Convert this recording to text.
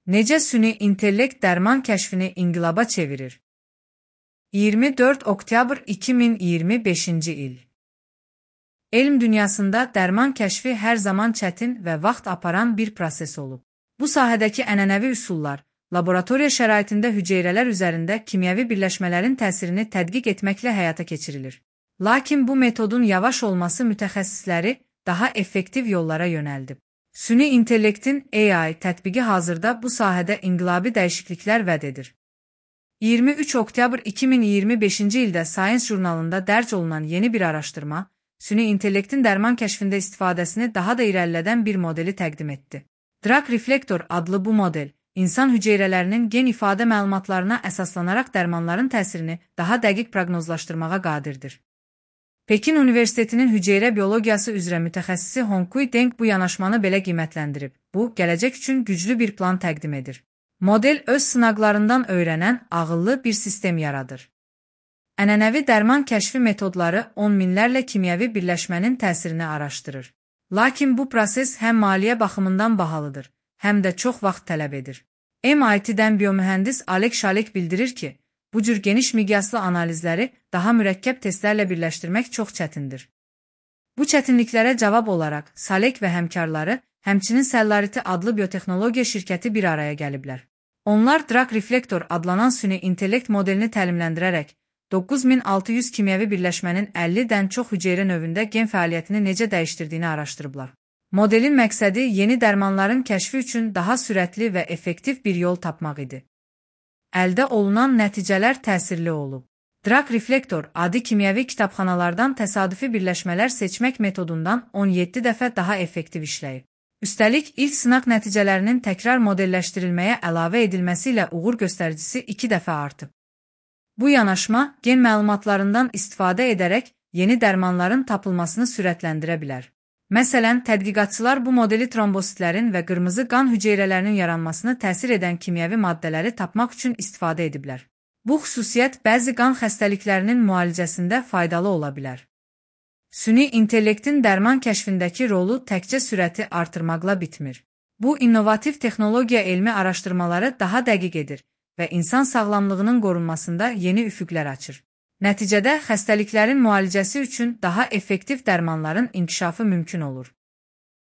Necə süni intellekt dərman kəşfini inqilaba çevirir? 24 oktyabr 2025-ci il. Elm dünyasında dərman kəşfi hər zaman çətin və vaxt aparan bir proses olub. Bu sahədəki ənənəvi üsullar, laboratoriya şəraitində hüceyrələr üzərində kimyəvi birləşmələrin təsirini tədqiq etməklə həyata keçirilir. Lakin bu metodun yavaş olması mütəxəssisləri daha effektiv yollara yönəldib. Süni intellektin AI tətbiqi hazırda bu sahədə inqilabi dəyişikliklər vəd edir. 23 oktyabr 2025-ci ildə Science jurnalında dərc olunan yeni bir araşdırma, süni intellektin dərman kəşfində istifadəsini daha da irəlilədən bir modeli təqdim etdi. Drug Reflector adlı bu model, insan hüceyrələrinin gen ifadə məlumatlarına əsaslanaraq dərmanların təsirini daha dəqiq proqnozlaşdırmağa qadirdir. Pekin Universitetinin hüceyrə biologiyası üzrə mütəxəssisi Hongkui Deng bu yanaşmanı belə qiymətləndirib. Bu, gələcək üçün güclü bir plan təqdim edir. Model öz sınaqlarından öyrənən ağıllı bir sistem yaradır. Ənənəvi dərman kəşfi metodları on minlərlə kimyəvi birləşmənin təsirini araşdırır. Lakin bu proses həm maliyyə baxımından bahalıdır, həm də çox vaxt tələb edir. MIT-dən biomühəndis Alek Şalek bildirir ki, bu cür geniş miqyaslı analizləri daha mürəkkəb testlərlə birləşdirmək çox çətindir. Bu çətinliklərə cavab olaraq Salek və həmkarları, həmçinin Cellarity adlı biotexnologiya şirkəti bir araya gəliblər. Onlar Drug Reflector adlanan süni intellekt modelini təlimləndirərək 9600 kimyəvi birləşmənin 50-dən çox hüceyrə növündə gen fəaliyyətini necə dəyişdirdiyini araşdırıblar. Modelin məqsədi yeni dərmanların kəşfi üçün daha sürətli və effektiv bir yol tapmaq idi. Əldə olunan nəticələr təsirli olub. Drug Reflector adi kimyəvi kitabxanalardan təsadüfi birləşmələr seçmək metodundan 17 dəfə daha effektiv işləyib. Üstəlik, ilk sınaq nəticələrinin təkrar modelləşdirilməyə əlavə edilməsi ilə uğur göstəricisi 2 dəfə artıb. Bu yanaşma, gen məlumatlarından istifadə edərək yeni dərmanların tapılmasını sürətləndirə bilər. Məsələn, tədqiqatçılar bu modeli trombositlərin və qırmızı qan hüceyrələrinin yaranmasını təsir edən kimyəvi maddələri tapmaq üçün istifadə ediblər. Bu xüsusiyyət bəzi qan xəstəliklərinin müalicəsində faydalı ola bilər. Süni intellektin dərman kəşfindəki rolu təkcə sürəti artırmaqla bitmir. Bu, innovativ texnologiya elmi araşdırmaları daha dəqiq edir və insan sağlamlığının qorunmasında yeni üfüqlər açır. Nəticədə xəstəliklərin müalicəsi üçün daha effektiv dərmanların inkişafı mümkün olur.